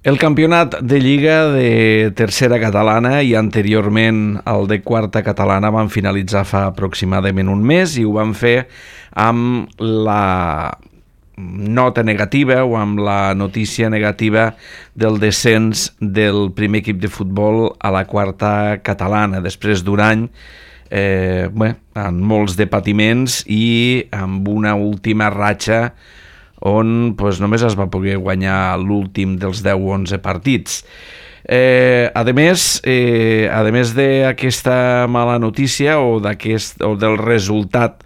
El campionat de Lliga de tercera catalana i anteriorment el de quarta catalana van finalitzar fa aproximadament un mes i ho van fer amb la nota negativa o amb la notícia negativa del descens del primer equip de futbol a la quarta catalana després d'un any amb molts de patiments i amb una última ratxa on només es va poder guanyar l'últim dels 10 o 11 partits. A més d'aquesta mala notícia o del resultat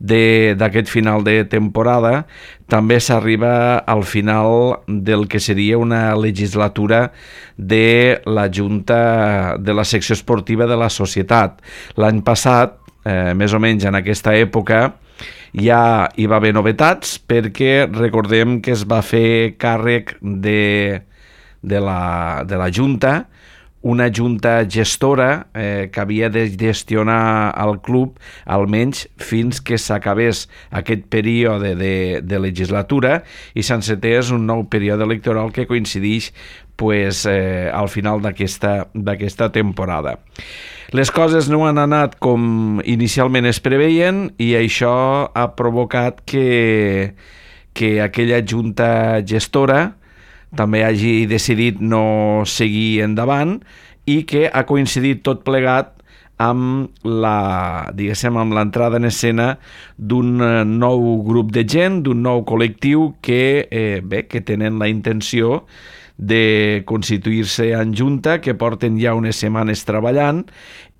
d'aquest final de temporada, també s'arriba al final del que seria una legislatura de la Junta de la secció esportiva de la societat. L'any passat, més o menys en aquesta època, ja hi va haver novetats perquè recordem que es va fer càrrec de la Junta, una junta gestora que havia de gestionar el club almenys fins que s'acabés aquest període de legislatura i s'encetés un nou període electoral que coincideix al final d'aquesta temporada. Les coses no han anat com inicialment es preveien i això ha provocat que aquella junta gestora també hagi decidit no seguir endavant i que ha coincidit tot plegat amb l'entrada en escena d'un nou grup de gent, d'un nou col·lectiu que tenen la intenció de constituir-se en junta, que porten ja unes setmanes treballant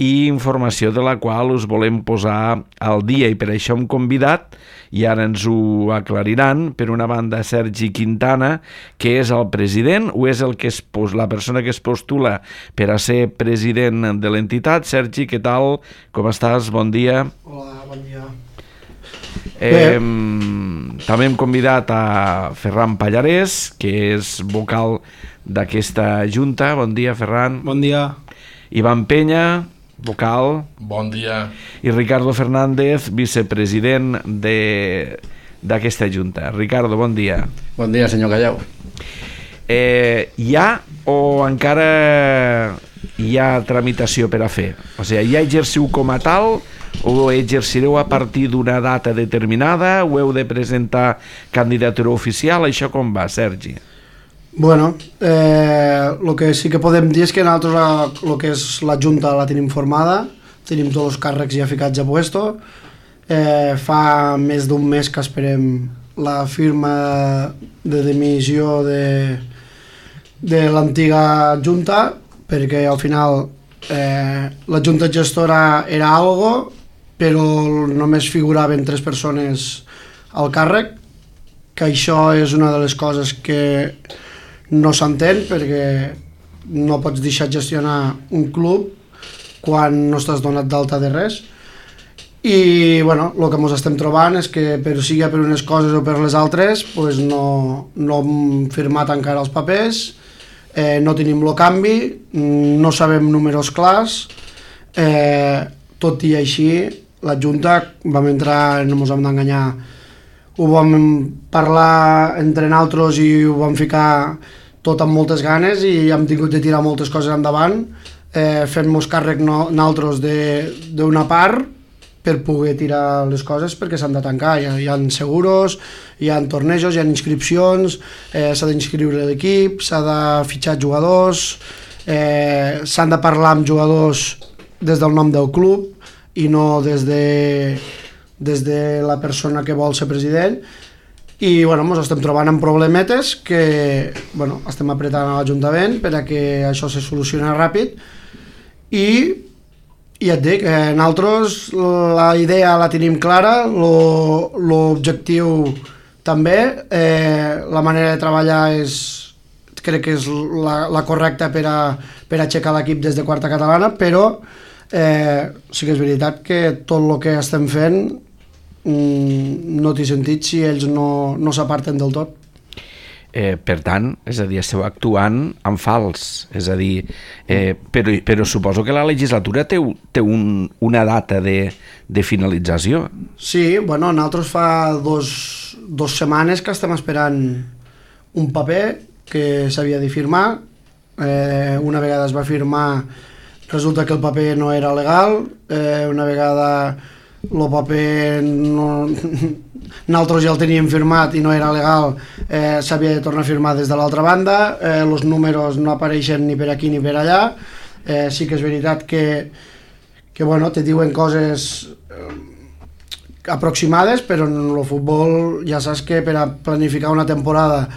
i informació de la qual us volem posar al dia i per això hem convidat, i ara ens ho aclariran, per una banda Sergi Quintana, que és el president o és la persona que es postula per a ser president de l'entitat. Sergi, què tal? Com estàs? Bon dia. Hola, bon dia. També hem convidat a Ferran Pallarès, que és vocal d'aquesta junta. Bon dia, Ferran. Bon dia. Ivan Penya, vocal. Bon dia. I Ricardo Fernández, vicepresident d'aquesta junta. Ricardo, bon dia. Bon dia, senyor Callau. Hi ha o encara hi ha tramitació per a fer? O sigui, ja exerciu com a tal o exercireu a partir d'una data determinada o heu de presentar candidatura oficial? Això com va, Sergi? Bueno, el que sí que podem dir és que nosaltres el que és la Junta la tenim formada, tenim tots els càrrecs ja ficats a puesto, fa més d'un mes que esperem la firma de dimissió de l'antiga Junta, perquè al final la Junta gestora era algo, però només figuraven 3 persones al càrrec, que això és una de les coses que no s'entén, perquè no pots deixar gestionar un club quan no estàs donat d'alta de res. I bueno, el que ens estem trobant és que sigui per unes coses o per les altres no hem firmat encara els papers, no tenim el canvi, no sabem números clars, tot i així la Junta vam entrar, no ens hem d'enganyar, ho vam parlar entre nosaltres i ho vam ficar tot amb moltes ganes i hem tingut de tirar moltes coses endavant, fent-nos càrrec nosaltres d'una part per poder tirar les coses perquè s'han de tancar. Hi ha seguros, hi ha tornejos, hi ha inscripcions, s'ha d'inscriure l'equip, s'ha de fitxar jugadors, s'han de parlar amb jugadors des del nom del club i no des de la persona que vol ser president. I ens estem trobant amb problemetes que estem apretant a l'Ajuntament per a que això se solucioni ràpid i ja et dic, nosaltres la idea la tenim clara, l'objectiu també, la manera de treballar crec que és la correcta per a aixecar l'equip des de quarta catalana, però sí que és veritat que tot el que estem fent no té sentit si ells no s'aparten del tot. Per tant, és a dir, esteu actuant en fals, és a dir, però suposo que la legislatura té una data de finalització. Sí, nosaltres fa dos setmanes que estem esperant un paper que s'havia de firmar. Una vegada es va firmar, resulta que el paper no era legal, una vegada el paper no... nosaltres ja el teníem firmat i no era legal, s'havia de tornar a firmar des de l'altra banda, els números no apareixen ni per aquí ni per allà. Sí que és veritat que bueno, te diuen coses aproximades, però en el futbol ja saps que per a planificar una temporada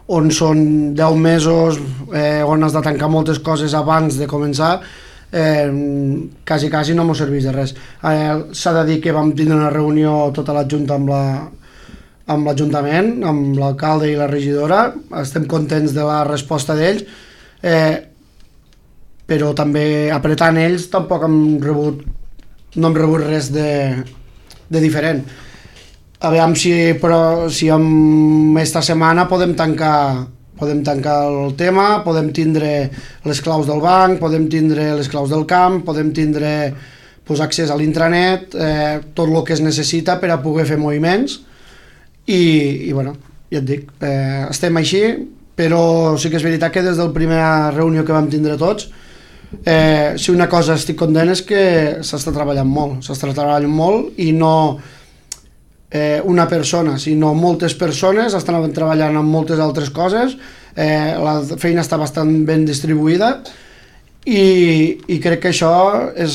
on són 10 mesos, on has de tancar moltes coses abans de començar, quasi no m'ho serveix de res. S'ha de dir que vam tindre una reunió tota la junta amb l'Ajuntament, amb l'alcalde i la regidora. Estem contents de la resposta d'ells, però també apretant ells tampoc no hem rebut res de diferent. Aviam si esta setmana podem tancar el tema, podem tindre les claus del banc, podem tindre les claus del camp, podem tindre accés a l'intranet, tot el que es necessita per a poder fer moviments i bueno, ja et dic, estem així, però sí que és veritat que des de la primera reunió que vam tindre tots, si una cosa estic content és que s'està treballant molt i no una persona, sinó moltes persones estan treballant en moltes altres coses. La feina està bastant ben distribuïda i crec que això és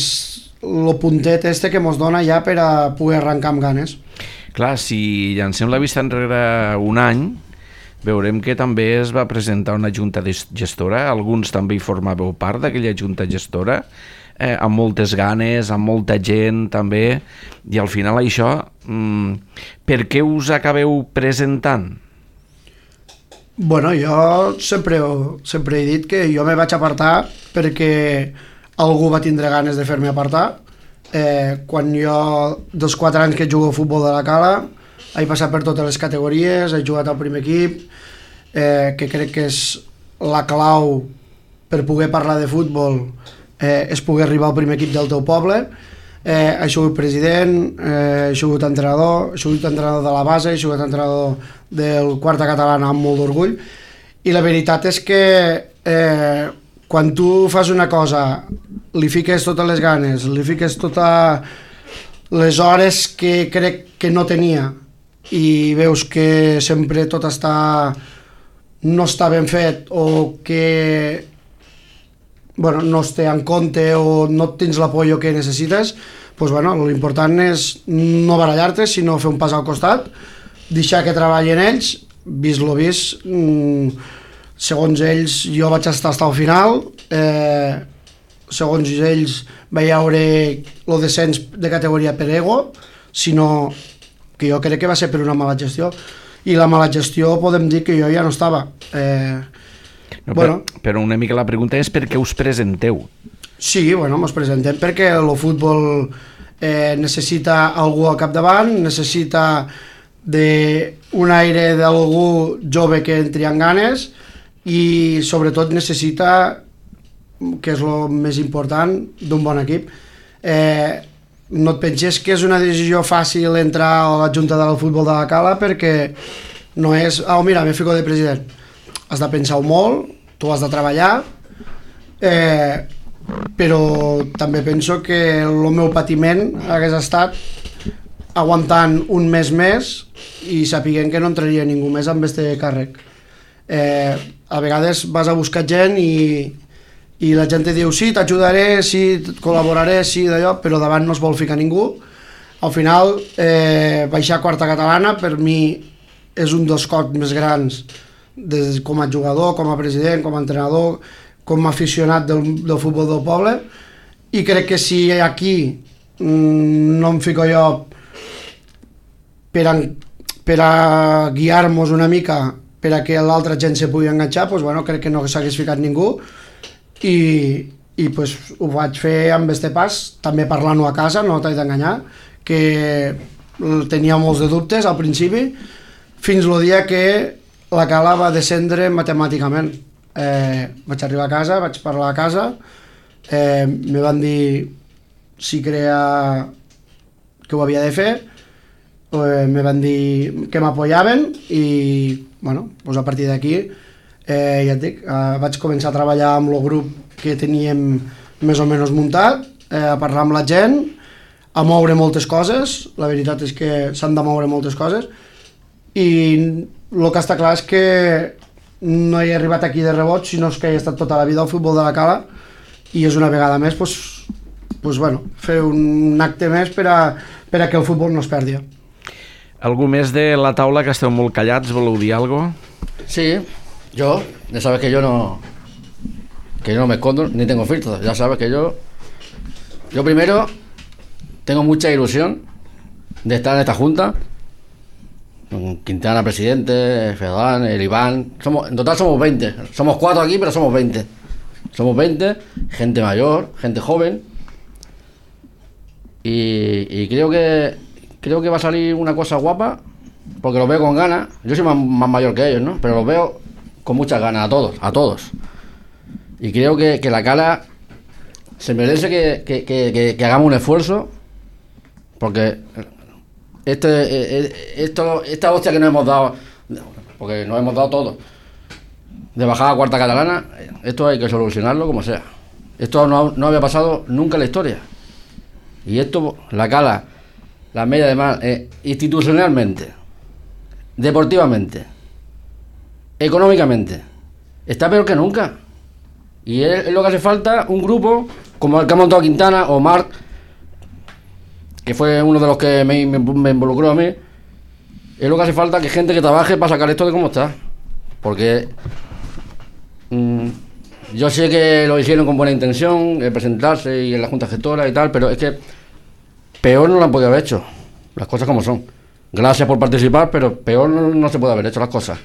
el puntet que mos dona ja per a poder arrencar amb ganes. Clar, si llancem la vista enrere un any, veurem que també es va presentar una junta gestora, alguns també hi formàveu part d'aquella junta gestora, amb moltes ganes, amb molta gent també, i al final això, per què us acabeu presentant? Bueno, jo sempre he dit que jo me vaig apartar perquè algú va tindre ganes de fer-me apartar. Quan jo, dels 4 anys que jugo a futbol de la Cala, he passat per totes les categories, he jugat al primer equip, que crec que és la clau per poder parlar de futbol, és poder arribar al primer equip del teu poble. He sigut president, he sigut entrenador de la base, he sigut entrenador del Quarta Catalana amb molt d'orgull, i la veritat és que quan tu fas una cosa, li fiques totes les ganes, li fiques totes les hores que crec que no tenia, i veus que sempre tot no està ben fet, o que no es té en compte, o no tens l'apoyo que necessites, l'important és no barallar-te, sinó fer un pas al costat, deixar que treballin ells, vist lo vist, segons ells jo vaig estar al final, segons ells vaig veure el descens de categoria per ego, sinó que jo crec que va ser per una mala gestió, i la mala gestió podem dir que jo ja no estava. Però una mica la pregunta és per què us presenteu? Sí, ens presentem perquè el futbol necessita algú al capdavant, necessita un aire d'algú jove que entri en ganes, i sobretot necessita, que és el més important, d'un bon equip. No et penses que és una decisió fàcil entrar a la Junta del Futbol de la Cala, perquè no és, mira, me fico de president. Has de pensar-ho molt, tu has de treballar, però també penso que el meu patiment hagués estat aguantant un mes més i sapiguent que no entraria ningú més amb este càrrec. A vegades vas a buscar gent i la gent te diu sí, t'ajudaré, sí, col·laboraré, sí, d'allò, però davant no es vol ficar ningú. Al final, baixar a Quarta Catalana per mi és un dels cops més grans com a jugador, com a president, com a entrenador, com a aficionat del futbol del poble, i crec que si aquí no em fico jo per a guiar-nos una mica per a que l'altra gent se pugui enganxar, crec que no s'hagués ficat ningú, i ho vaig fer amb este pas, també parlant-ho a casa, no t'he d'enganyar, que tenia molts de dubtes al principi, fins el dia que la Cala va descendre matemàticament. Vaig arribar a casa, vaig parlar a casa, me van dir si creia que ho havia de fer, me van dir que m'apoyaven, i a partir d'aquí Ja et dic, vaig començar a treballar amb el grup que teníem més o menys muntat, a parlar amb la gent, a moure moltes coses. La veritat és que s'han de moure moltes coses, i el que està clar és que no he arribat aquí de rebot, sinó que he estat tota la vida al futbol de la Cala, i és una vegada més fer un acte més per a que el futbol no es perdi. Algú més de la taula, que esteu molt callats, voleu dir alguna cosa? Sí, yo, ya sabes que yo no me escondo ni tengo filtros. Ya sabes que yo primero tengo mucha ilusión de estar en esta junta, con Quintana presidente, Fedán, el Iván. En total somos 20. Somos 4 aquí, pero somos 20. Somos 20, gente mayor, gente joven. Y creo que va a salir una cosa guapa, porque los veo con ganas. Yo soy más mayor que ellos, ¿no? Pero los veo con muchas ganas, a todos. Y creo que la Cala se merece que hagamos un esfuerzo, porque esta hostia que nos hemos dado, porque nos hemos dado todo, de bajar a cuarta catalana, esto hay que solucionarlo como sea. Esto no había pasado nunca en la historia. Y esto, la Cala, la media de mar, institucionalmente, deportivamente, económicamente, está peor que nunca. Y es lo que hace falta, un grupo como el que ha montado Quintana o Marc, que fue uno de los que me involucró a mí. Es lo que hace falta, que gente que trabaje para sacar esto de cómo está. Porque yo sé que lo hicieron con buena intención, presentarse y en la Junta Gestora y tal, pero es que peor no lo han podido haber hecho, las cosas como son. Gracias por participar, pero peor no se puede haber hecho las cosas.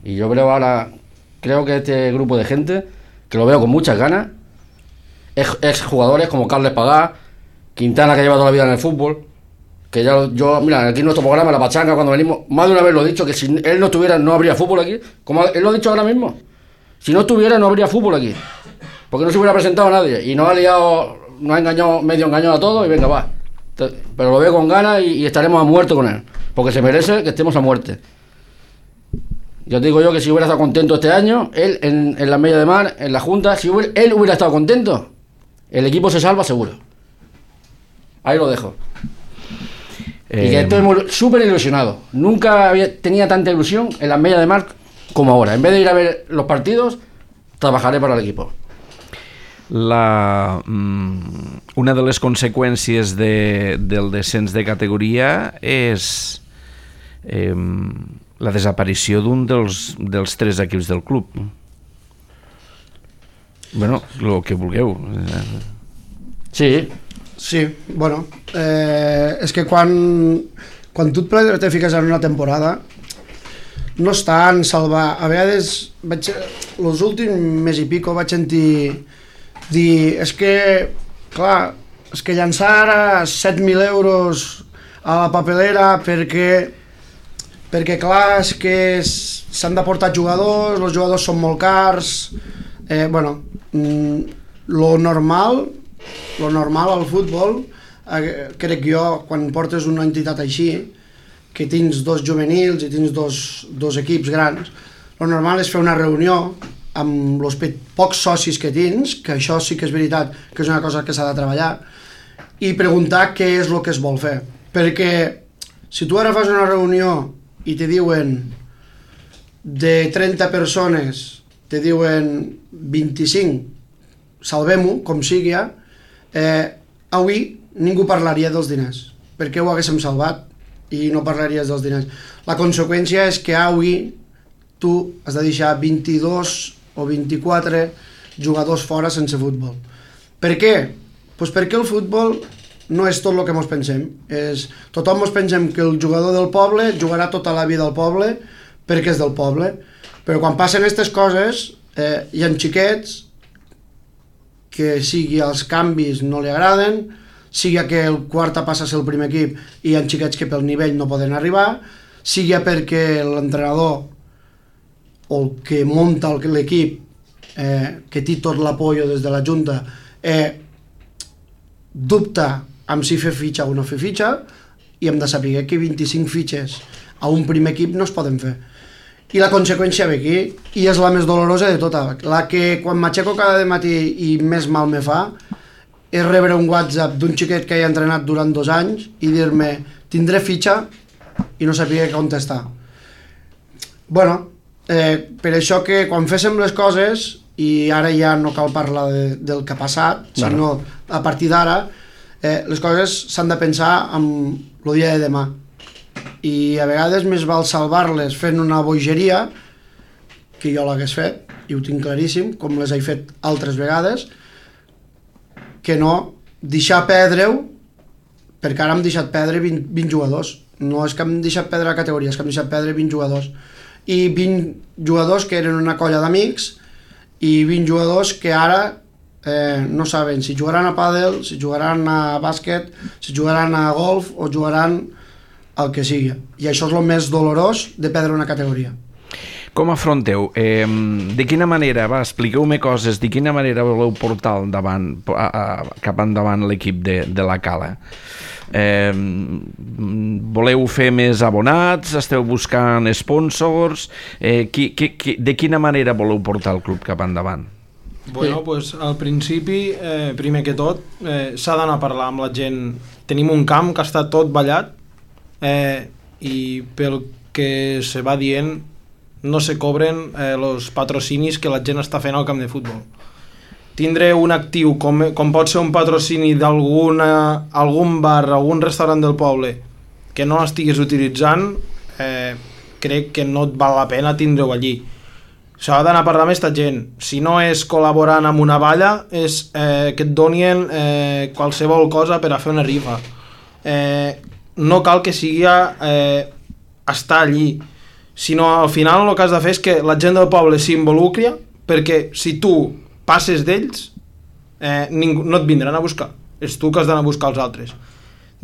Y yo creo que este grupo de gente, que lo veo con muchas ganas, ex jugadores como Carles Pagá, Quintana, que lleva toda la vida en el fútbol, que mira, aquí en nuestro programa, La Pachanga, cuando venimos, más de una vez lo he dicho, que si él no estuviera, no habría fútbol aquí, como él lo ha dicho ahora mismo. Si no estuviera, no habría fútbol aquí, porque no se hubiera presentado a nadie, y nos ha liado, nos ha engañado, medio engañado a todos, y venga, va. Pero lo veo con ganas y estaremos a muerte con él, porque se merece que estemos a muerte. Yo te digo yo que si hubiera estado contento este año, él en la media de mar, en la Junta, si él hubiera estado contento, el equipo se salva seguro. Ahí lo dejo. Y que estoy súper ilusionado. Nunca tenía tanta ilusión en la media de mar como ahora. En vez de ir a ver los partidos, trabajaré para el equipo. Una de les conseqüències del descens de categoria és la desaparició d'un dels 3 equips del club. Bueno, el que vulgueu. Sí, bueno, és que quan tu te fiques en una temporada no és tan salvar. A vegades, els últims mes i pico vaig sentir dir, és que llançar ara 7.000 euros a la papelera perquè clar, és que s'han de portar jugadors, els jugadors són molt cars. Lo normal al futbol, crec jo, quan portes una entitat així, que tens 2 juvenils i tens dos equips grans, lo normal és fer una reunió amb els pocs socis que tens, que això sí que és veritat, que és una cosa que s'ha de treballar, i preguntar què és el que es vol fer. Perquè si tu ara fas una reunió i te diuen de 30 persones, te diuen 25, salvem-ho, com sigui, avui ningú parlaria dels diners, perquè ho haguéssim salvat i no parlaries dels diners. La conseqüència és que avui tu has de deixar 22 o 24 jugadors fora sense futbol. Per què? Pues perquè el futbol no és tot el que ens pensem. Tothom ens pensem que el jugador del poble jugarà tota la vida al poble perquè és del poble, però quan passen aquestes coses hi ha xiquets que sigui els canvis no li agraden, sigui que el quarta passa a ser el primer equip i hi ha xiquets que pel nivell no poden arribar, sigui perquè l'entrenador o el que munta l'equip, que té tot l'apoyo des de la Junta, dubta amb si fer fitxa o no fer fitxa, i hem de saber que 25 fitxes a un primer equip no es poden fer. I la conseqüència ve aquí, i és la més dolorosa de tota. La que quan m'aixeco cada matí i més mal me fa és rebre un WhatsApp d'un xiquet que he entrenat durant 2 anys i dir-me, tindré fitxa, i no sabia què contestar. Bueno, per això que quan féssim les coses, i ara ja no cal parlar del que ha passat, sinó a partir d'ara, les coses s'han de pensar amb el dia de demà. I a vegades més val salvar-les fent una bogeria, que jo l'hagués fet, i ho tinc claríssim, com les he fet altres vegades, que no deixar perdre-ho, perquè ara hem deixat perdre 20 jugadors. No és que hem deixat perdre la categoria, és que hem deixat perdre 20 jugadors. I 20 jugadors que eren una colla d'amics, i 20 jugadors que ara no saben si jugaran a pàdel, si jugaran a bàsquet, si jugaran a golf o jugaran el que sigui. I això és el més dolorós de perdre una categoria. Com afronteu? De quina manera, expliqueu-me coses, de quina manera voleu portar endavant, cap endavant l'equip de la Cala? Voleu fer més abonats? Esteu buscant sponsors? De quina manera voleu portar el club cap endavant? Bueno, pues al principi, primer que tot, s'ha d'anar a parlar amb la gent. Tenim un camp que està tot ballat, i pel que se va dient no se cobren els patrocinis que la gent està fent al camp de futbol. Tindre un actiu com pot ser un patrocini d'algun bar, algun restaurant del poble que no l'estiguis utilitzant, crec que no et val la pena tindre-ho allí. S'ha d'anar a parlar amb aquesta gent. Si no és col·laborant amb una valla, és que et donin qualsevol cosa per a fer una rifa. No cal que sigui estar allí, sinó al final el que has de fer és que la gent del poble s'involucri, perquè si tu passes d'ells, no et vindran a buscar, és tu que has d'anar a buscar els altres.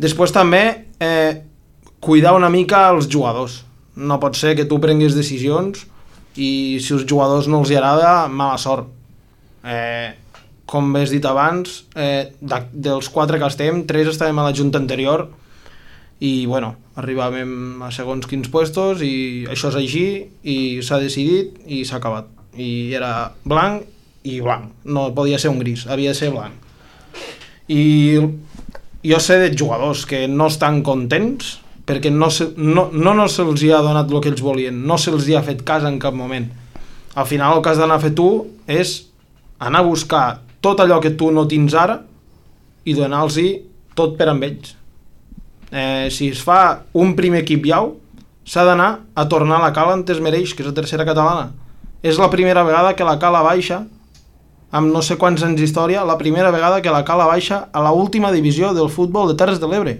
Després també cuidar una mica els jugadors. No pot ser que tu prenguis decisions i si els jugadors no els hi agrada, mala sort. Com has dit abans, dels 4 que estem, 3 estàvem a la junta anterior i bueno, arribàvem a segons quins puestos i això és així i s'ha decidit i s'ha acabat. I era blanc i blanc, no podia ser un gris, havia de ser blanc. I jo sé de jugadors que no estan contents perquè no se'ls ha donat el que ells volien, no se'ls ha fet cas en cap moment. Al final el que has d'anar a fer tu és anar a buscar tot allò que tu no tens ara i donar-los tot per amb ells. Si es fa un primer equip iau, s'ha d'anar a tornar a la Cala on es mereix, que és la tercera catalana. És la primera vegada que la Cala baixa, amb no sé quants anys d'història, la primera vegada que la Cala baixa a la última divisió del futbol de Terres de l'Ebre.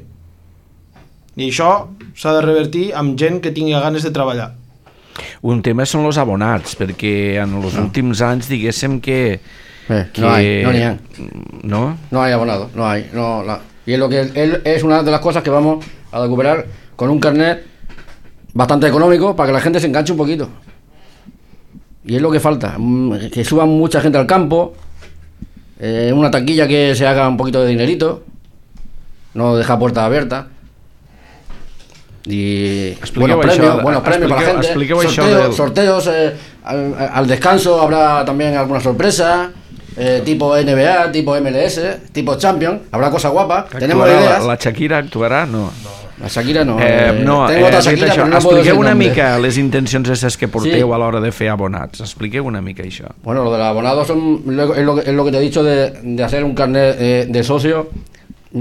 I això s'ha de revertir amb gent que tingui ganes de treballar. Un tema són els abonats, perquè en els últims anys diguéssim que no n'hi ha. ¿No? No hay abonados, no hay. Y es una de las cosas que vamos a recuperar con un carnet bastante económico para que la gente se enganche un poquito. Y es lo que falta, que suban mucha gente al campo, una taquilla que se haga un poquito de dinerito, no dejar puertas abiertas. Y buenos premios para la gente, sorteos al descanso habrá también alguna sorpresa, tipo NBA, tipo MLS, tipo Champions, habrá cosas guapas. Tenemos ideas. La Shakira actuarà? No. La Shakira no. Tengo otra Shakira, però no expliqueu una mica les intencions esas que porteu a l'hora de fer abonats. Expliqueu una mica això. Bueno, lo del abonado es lo que te he dicho de hacer un carnet de socio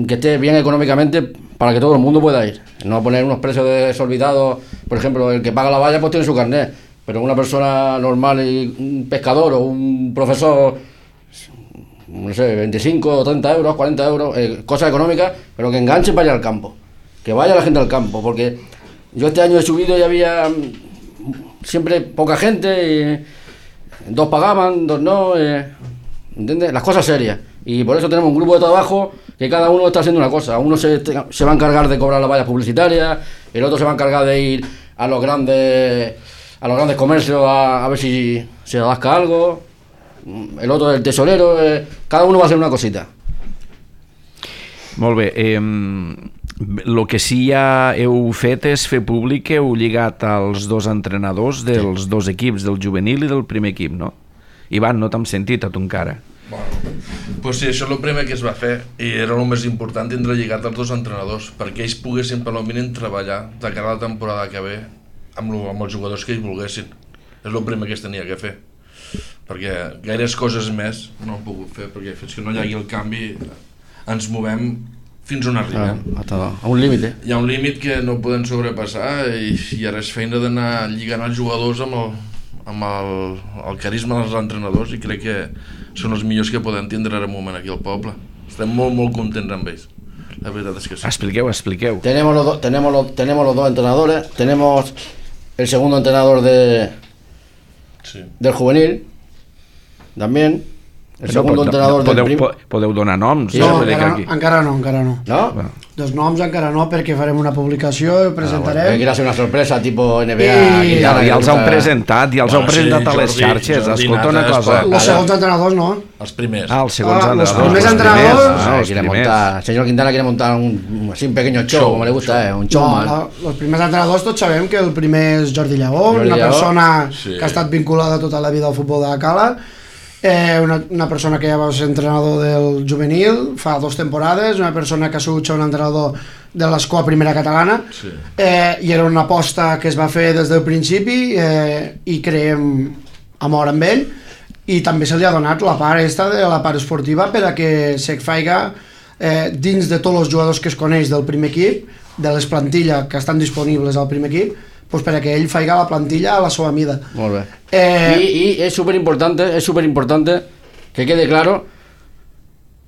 que esté bien económicamente para que todo el mundo pueda ir. No poner unos precios desorbitados. Por ejemplo, el que paga la valla pues tiene su carnet, pero una persona normal y un pescador o un profesor, no sé, 25 o 30 euros, 40 euros, cosas económicas, pero que enganchen para ir al campo, que vaya la gente al campo, porque yo este año he subido y había siempre poca gente, y 2 pagaban, 2 no, ¿entiendes? Las cosas serias. Y por eso tenemos un grupo de trabajo que cada uno está haciendo una cosa. Uno se va a encargar de cobrar las vallas publicitarias, el otro se va a encargar de ir a los grandes comercios a ver si se rasca algo, el otro del tesorero, cada uno va a hacer una cosita. Molt bé, El que sí ja heu fet és fer públic que heu lligat als dos entrenadors dels dos equips, del juvenil i del primer equip, no? Ivan, no t'hem sentit a tu encara. Bueno, pues sí, això és el primer que es va fer i era el més important tindre lligat els dos entrenadors perquè ells poguessin per al mínim treballar de cara a la temporada que ve amb els jugadors que ells volguessin. És el primer que es tenia que fer perquè gaires coses més no ho he pogut fer perquè fins que no hi hagi el canvi ens movem fins on arribem. A un límit, Hi ha un límit que no podem sobrepassar i ara és feina d'anar lligant els jugadors amb el carisma dels entrenadors i crec que són els millors que podem tindre ara un moment aquí al poble. Estem molt, molt contents amb ells. La veritat es que sí. Expliqueu. Tenemos los dos entrenadores, tenemos el segundo entrenador del juvenil, también. El segundo entrenador del primer... Podeu donar noms? No, encara no. ¿No? Bueno. Dels noms encara no, perquè farem una publicació i presentarem. Bueno, quiere hacer una sorpresa tipo NBA. Ja els heu presentat, a les xarxes. Escolta una cosa. Els segons entrenadors no. Els primers. Els segons los entrenadors. primers entrenadors. El señor Quintana quiere montar un pequeño show, como le gusta, un showman. Els primers entrenadors tots sabem que el primer és Jordi Lleó, una persona que ha estat vinculada tota la vida al futbol de la Cala. Una persona que ja va ser entrenador del juvenil fa 2 temporades, una persona que ha sigut un entrenador de l'escola primera catalana, i era una aposta que es va fer des del principi i creiem amor amb ell, i també se li ha donat la part de la part esportiva per a que se faiga dins de tots els jugadors que es coneix del primer equip, de les plantilles que estan disponibles al primer equip, pues para que él faiga la plantilla a la seva mida. Molt bé. Y es súper importante que quede claro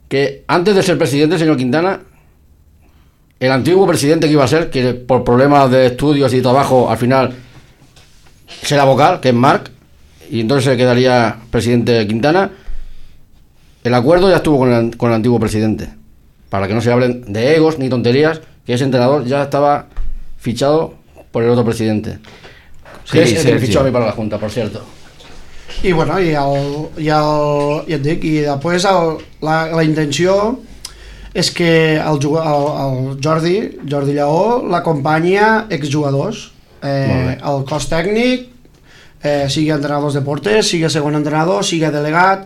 que antes de ser presidente, señor Quintana, el antiguo presidente que iba a ser, que por problemas de estudios y trabajo al final será vocal, que es Marc, y entonces se quedaría presidente Quintana. El acuerdo ya estuvo con el antiguo presidente, para que no se hablen de egos ni tonterías, que ese entrenador ya estaba fichado por el otro presidente, que es el que me fichó a mí para la Junta, por cierto. I bueno, ja et dic, i després la intenció és que el Jordi Lleó l'acompanya exjugadors, el cos tècnic, sigui entrenadors de porters, sigui segon entrenador, sigui delegat.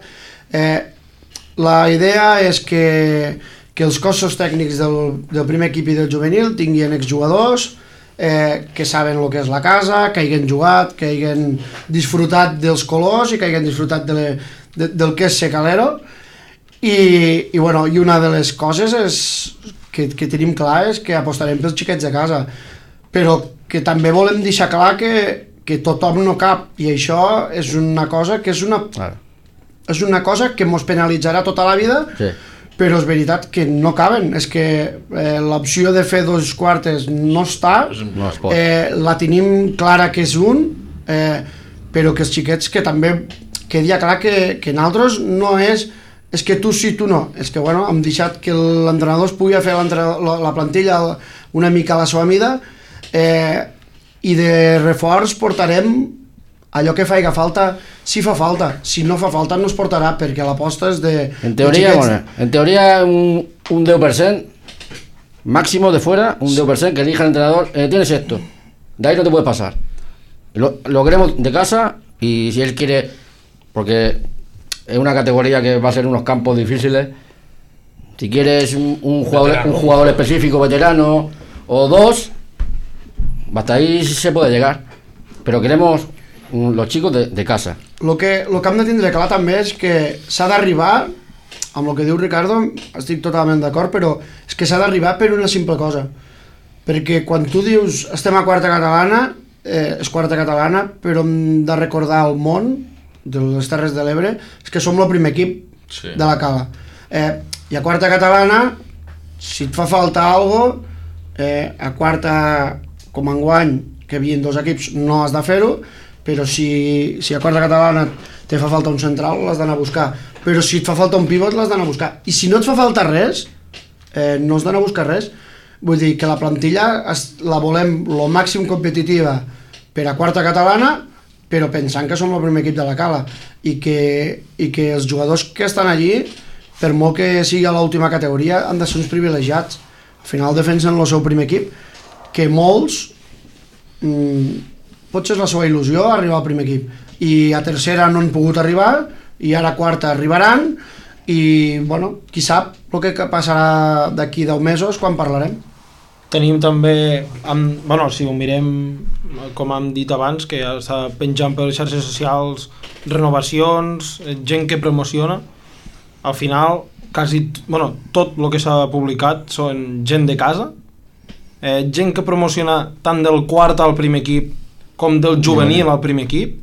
La idea és que els cossos tècnics del primer equip i del juvenil tinguin exjugadors que saben el que és la casa, que hagin jugat, que hagin disfrutat dels colors i que hagin disfrutat del que és ser calero. I una de les coses que tenim clar és que apostarem pels xiquets de casa, però que també volem deixar clar que tothom no cap, i això és una cosa que és una cosa que mos penalitzarà tota la vida. Sí. Però és veritat que no caben, és que l'opció de fer 2 quartes no està, la tenim clara que és un, però que els xiquets que també quedi clar que nosaltres no és que tu sí, tu no, és que hem deixat que l'entrenador es pugui fer la plantilla una mica a la seva mida, i de reforç portarem allò que faiga falta, si fa falta. Si no fa falta no es portarà, perquè l'aposta és de... En teoría un 10%, máximo de fuera, un 10% que elija el entrenador, tienes esto, de ahí no te puedes pasar. Lo queremos de casa, y si él quiere, porque es una categoría que va a ser unos campos difíciles, si quieres un jugador específico, veterano, o 2, hasta ahí se puede llegar, pero queremos los chicos de casa. Lo que hem de tindre clar també és que s'ha d'arribar, amb el que diu Ricardo estic totalment d'acord, però és que s'ha d'arribar per una simple cosa, perquè quan tu dius estem a quarta catalana, és quarta catalana, però hem de recordar al món de les Terres de l'Ebre és que som el primer equip de la Cala, i a quarta catalana si et fa falta alguna cosa, a quarta com enguany que hi havia 2 equips no has de fer-ho, però si a quarta catalana te fa falta un central l'has d'anar a buscar, però si et fa falta un pivot l'has d'anar a buscar, i si no et fa falta res no has d'anar a buscar res. Vull dir que la plantilla la volem lo màxim competitiva per a quarta catalana, però pensant que som el primer equip de la Cala, i que els jugadors que estan allí, per molt que sigui a l'última categoria, han de ser uns privilegiats, Al final defensen el seu primer equip, que molts potser és la seva il·lusió arribar al primer equip, i a tercera no han pogut arribar, i ara a quarta arribaran, i bueno, qui sap el que passarà d'aquí 10 mesos quan parlarem. Tenim també, bueno, si ho mirem, com hem dit abans, que ja està penjant per les xarxes socials renovacions, gent que promociona. Al final, tot el que s'ha publicat són gent de casa, gent que promociona tant del quart al primer equip com del juvenil al primer equip.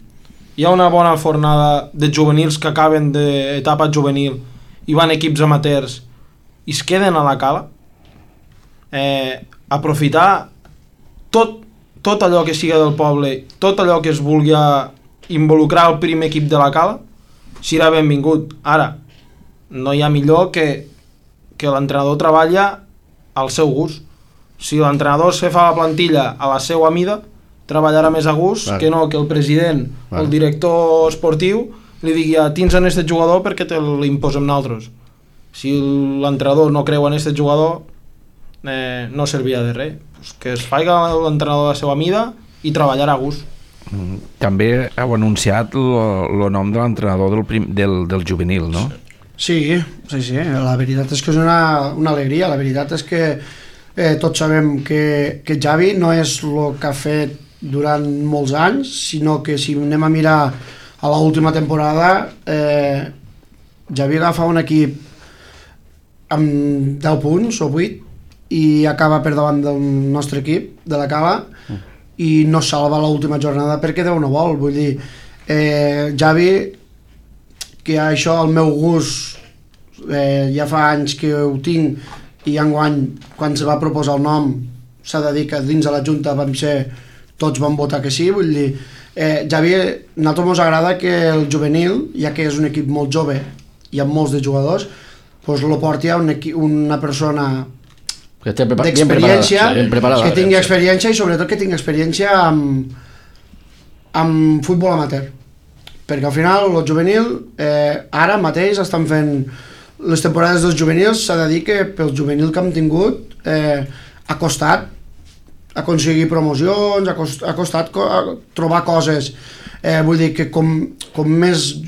Hi ha una bona fornada de juvenils que acaben d'etapa juvenil i van a equips amateurs i es queden a la cala. Aprofitar tot allò que siga del poble, tot allò que es vulgui involucrar al primer equip de la cala, serà benvingut. Ara, no hi ha millor que l'entrenador treballa al seu gust. Si l'entrenador se fa la plantilla a la seva mida, treballarà més a gust, que no que el president o el director esportiu li digui tens en aquest jugador perquè te l'imposem nosaltres. Si l'entrenador no creu en aquest jugador, no servirà de res. Pues que es faci l'entrenador a la seva mida i treballar a gust. També heu anunciat el nom de l'entrenador del juvenil, no? Sí, la veritat és que és una alegria. La veritat és que tots sabem que Xavi no és el que ha fet durant molts anys, sinó que si anem a mirar a l'última temporada, Xavi agafa un equip amb 10 punts o 8 i acaba per davant del nostre equip de la cala i no salva l'última jornada perquè Déu no vol. Vull dir, Xavi, que això al meu gust ja fa anys que ho tinc i enguany quan se va proposar el nom s'ha de dir que dins de la Junta tots van votar que sí. Vull dir, Xavi, a nosaltres ens agrada que el juvenil, ja que és un equip molt jove i amb molts de jugadors, doncs lo porti a una persona d'experiència, que tingui experiència i sobretot que tingui experiència amb futbol amateur, perquè al final el juvenil ara mateix estan fent les temporades dels juvenils. S'ha de dir que pel juvenil que hem tingut ha costat aconseguir promocions, ha costat trobar coses. Vull dir que com més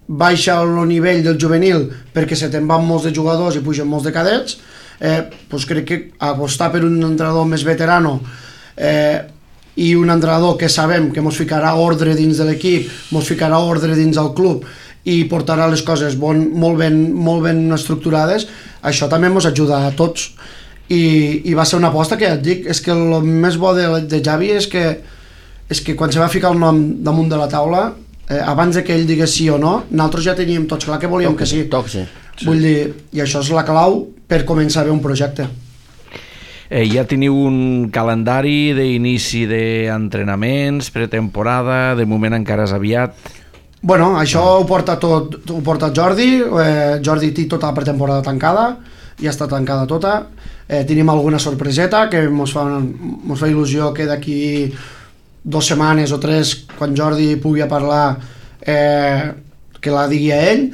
baixa el nivell del juvenil perquè se te'n van molts de jugadors i pugen molts de cadets, doncs crec que apostar per un entrenador més veterano i un entrenador que sabem que ens ficarà ordre dins de l'equip, ens ficarà ordre dins del club i portarà les coses molt ben estructurades, això també ens ajuda a tots. I va ser una aposta que ja et dic, és que el més bo de Xavi és que quan se va ficar el nom damunt de la taula, abans que ell digués sí o no, nosaltres ja teníem tots clar que volíem que sí. Vull dir, i això és la clau per començar a fer un projecte. Ja teniu un calendari d'inici d'entrenaments, pretemporada, de moment encara és aviat? Bueno, això ho porta Jordi. Jordi té tota la pretemporada tancada, ja està tancada tota. Tenim alguna sorpreseta que ens fa il·lusió que d'aquí 2 setmanes o 3, quan Jordi pugui parlar, que la digui a ell.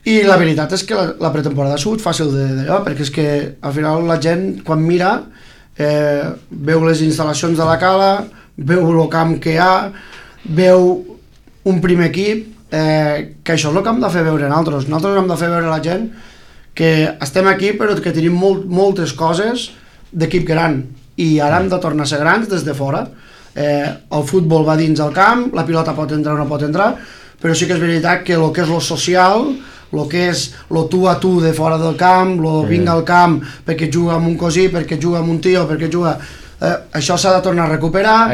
I la veritat és que la pretemporada ha sigut fàcil d'allò, perquè és que al final la gent quan mira veu les instal·lacions de la cala, veu el camp que hi ha, veu un primer equip, que això és el que hem de fer veure nosaltres hem de fer veure a la gent que estem aquí però que tenim moltes coses d'equip gran i ara hem de tornar a ser grans des de fora. El futbol va dins el camp, la pilota pot entrar o no pot entrar, però sí que és veritat que el que és lo social, el que és lo tu a tu de fora del camp, lo vinga al camp perquè juga amb un cosí, perquè juga amb un tio, perquè juga... això s'ha de tornar a recuperar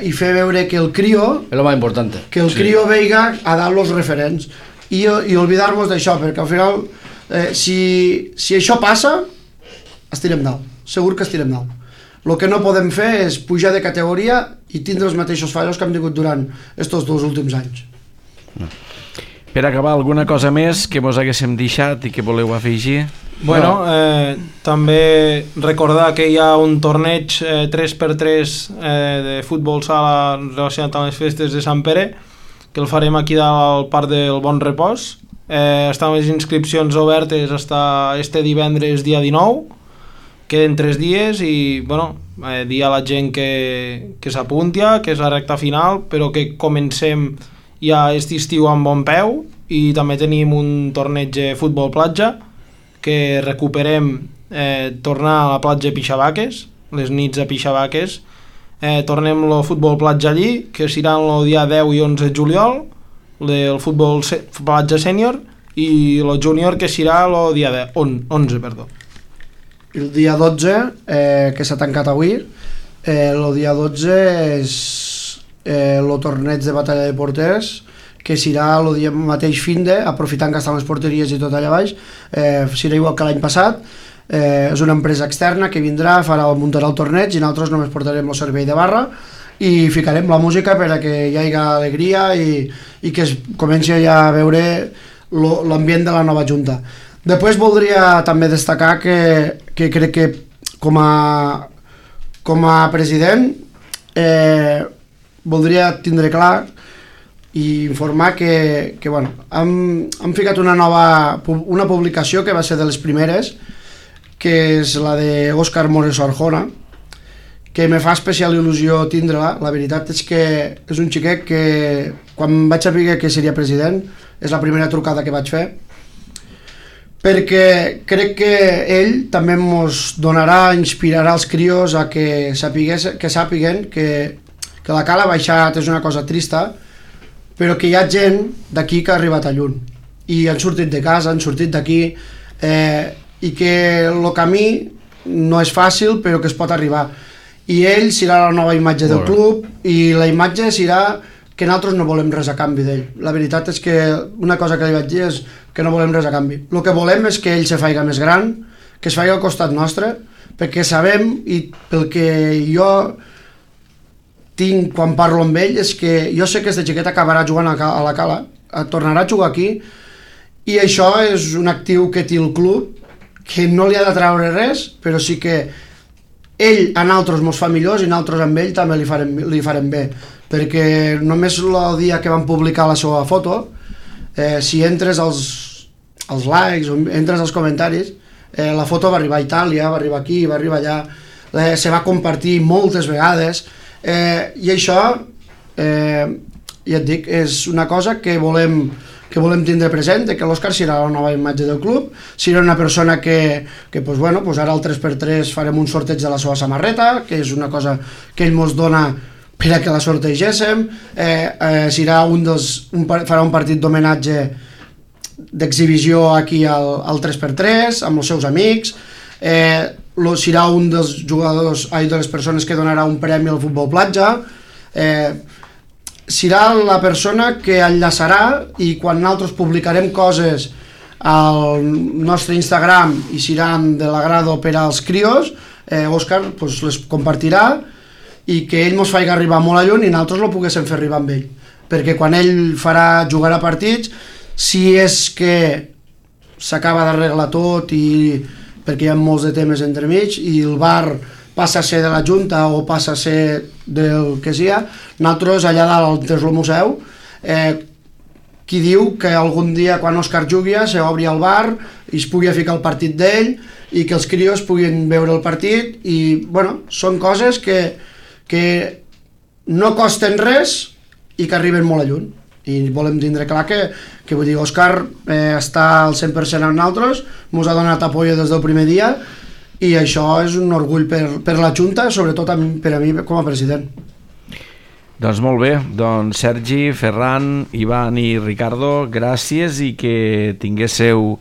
i fer veure que el crio... És lo más importante. Que el crio veiga a dar los referents i olvidar-nos d'això, perquè al final si això passa estirem dalt, segur que estirem dalt. El que no podem fer és pujar de categoria i tindre els mateixos fallos que hem tingut durant aquests 2 últims anys. Per acabar, alguna cosa més que mos haguéssim deixat i que voleu afegir? Bueno, també recordar que hi ha un torneig 3x3 de futbol sala relacionat amb les festes de Sant Pere, que el farem aquí al Parc del Bon Repòs. Estan les inscripcions obertes fins este divendres dia 19, queden 3 dies i bueno, dir a la gent que s'apunti, que és la recta final, però que comencem ja aquest estiu amb bon peu, i també tenim un torneig de futbol platja que recuperem, tornar a la platja de Pixabaques, les nits a Pixabaques, tornem el futbol platja allí, que serà el dia 10 i 11 de juliol, el futbol platja sènior, i el júnior, que serà el dia 11, perdó. El dia 12, que s'ha tancat avui, el dia 12 és el torneig de batalla de porters, que serà el dia mateix finde, aprofitant que estan les porteries i tot allà baix, serà igual que l'any passat. És una empresa externa que vindrà, muntarà el torneig, i nosaltres només portarem el servei de barra i ficarem la música per a que hi hagi alegria i que es comenci ja a veure l'ambient de la nova junta. Després voldria també destacar que crec que com a president voldria tindre clar i informar que bueno, hem ficat una publicació que va ser de les primeres, que és la d'Òscar Moreso Arjona, que me fa especial il·lusió tindre-la. La veritat és que és un xiquet que quan vaig saber que seria president és la primera trucada que vaig fer, perquè crec que ell també ens donarà, inspirarà els crios a que sàpiguen que la cala ha baixat, és una cosa trista, però que hi ha gent d'aquí que ha arribat a lluny i han sortit de casa, han sortit d'aquí, i que el camí no és fàcil però que es pot arribar, i ell serà la nova imatge del club, i la imatge serà que nosaltres no volem res a canvi d'ell. La veritat és que una cosa que li vaig dir és que no volem res a canvi. El que volem és que ell se faiga més gran, que es faci al costat nostre, perquè sabem, i pel que jo tinc quan parlo amb ell, és que jo sé que aquesta xiqueta acabarà jugant a la cala, tornarà a jugar aquí, i això és un actiu que té el club, que no li ha de treure res, però sí que ell a nosaltres mos fa millors i nosaltres amb ell també li farem bé, perquè només el dia que van publicar la seva foto, si entres als likes o entres als comentaris, la foto va arribar a Itàlia, va arribar aquí, va arribar allà, se va compartir moltes vegades, i això, ja et dic, és una cosa que volem tindre present, que l'Òscar serà la nova imatge del club, serà una persona que pues bueno, pues ara al 3x3 farem un sorteig de la seva samarreta, que és una cosa que ell ens dona per a que la sortegéssim, farà un partit d'homenatge d'exhibició aquí al 3x3 amb els seus amics, serà un dels jugadors, de les persones que donarà un premi al futbol platja, serà la persona que enllaçarà, i quan nosaltres publicarem coses al nostre Instagram i seran de l'agrado per als crios, Òscar pues, les compartirà, i que ell ens faci arribar molt a lluny i nosaltres lo poguéssim fer arribar amb ell, perquè quan ell jugarà partits, si és que s'acaba d'arreglar tot, i perquè hi ha molts de temes entremig i el bar passa a ser de la Junta o passa a ser del que sia, nosaltres allà dalt des del museu, qui diu que algun dia quan Òscar jugui s'obri el bar i es pugui ficar el partit d'ell i que els crios puguin veure el partit, i bueno, són coses que no costen res i que arriben molt a lluny, i volem tindre clar que vull dir, Òscar està al 100% amb nosaltres, ens ha donat apoyo des del primer dia, i això és un orgull per la Junta, sobretot per a mi com a president. Doncs molt bé, doncs Sergi, Ferran, Ivan i Ricardo, gràcies, i que tinguéssiu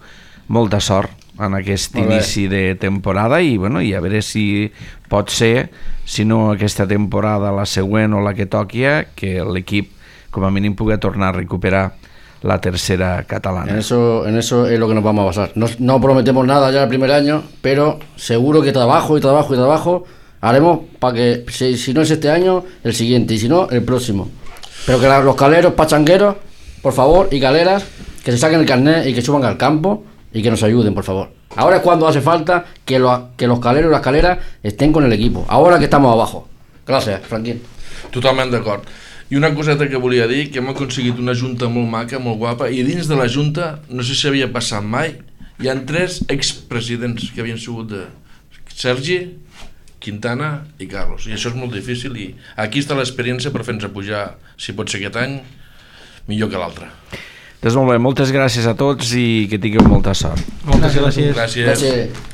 molta sort en aquest inici de temporada, i bueno, i a veure si pot ser, si no aquesta temporada, la següent o la que toqui, que l'equip com a mínim pugui tornar a recuperar la tercera catalana. En eso es lo que nos vamos a basar. No prometemos nada ya el primer año, pero seguro que trabajo haremos para que, si no es este año, el siguiente, y si no, el próximo. Pero que los caleros pachangueros, por favor, y caleras, que se saquen el carnet y que suban al campo y que nos ayuden, por favor. Ahora es cuando hace falta que los caleros y las caleras estén con el equipo, ahora que estamos abajo. Gràcies, Franquín. Totalment d'acord. I una coseta que volia dir, que hem aconseguit una junta molt maca, molt guapa, i dins de la junta, no sé si havia passat mai, hi ha 3 expresidents que havien sigut Sergi, Quintana i Carlos, i això és molt difícil, i aquí està l'experiència per fer-nos pujar, si pot ser aquest any, millor que l'altre. Doncs molt bé, moltes gràcies a tots i que tingueu molta sort. Moltes gràcies. Gràcies.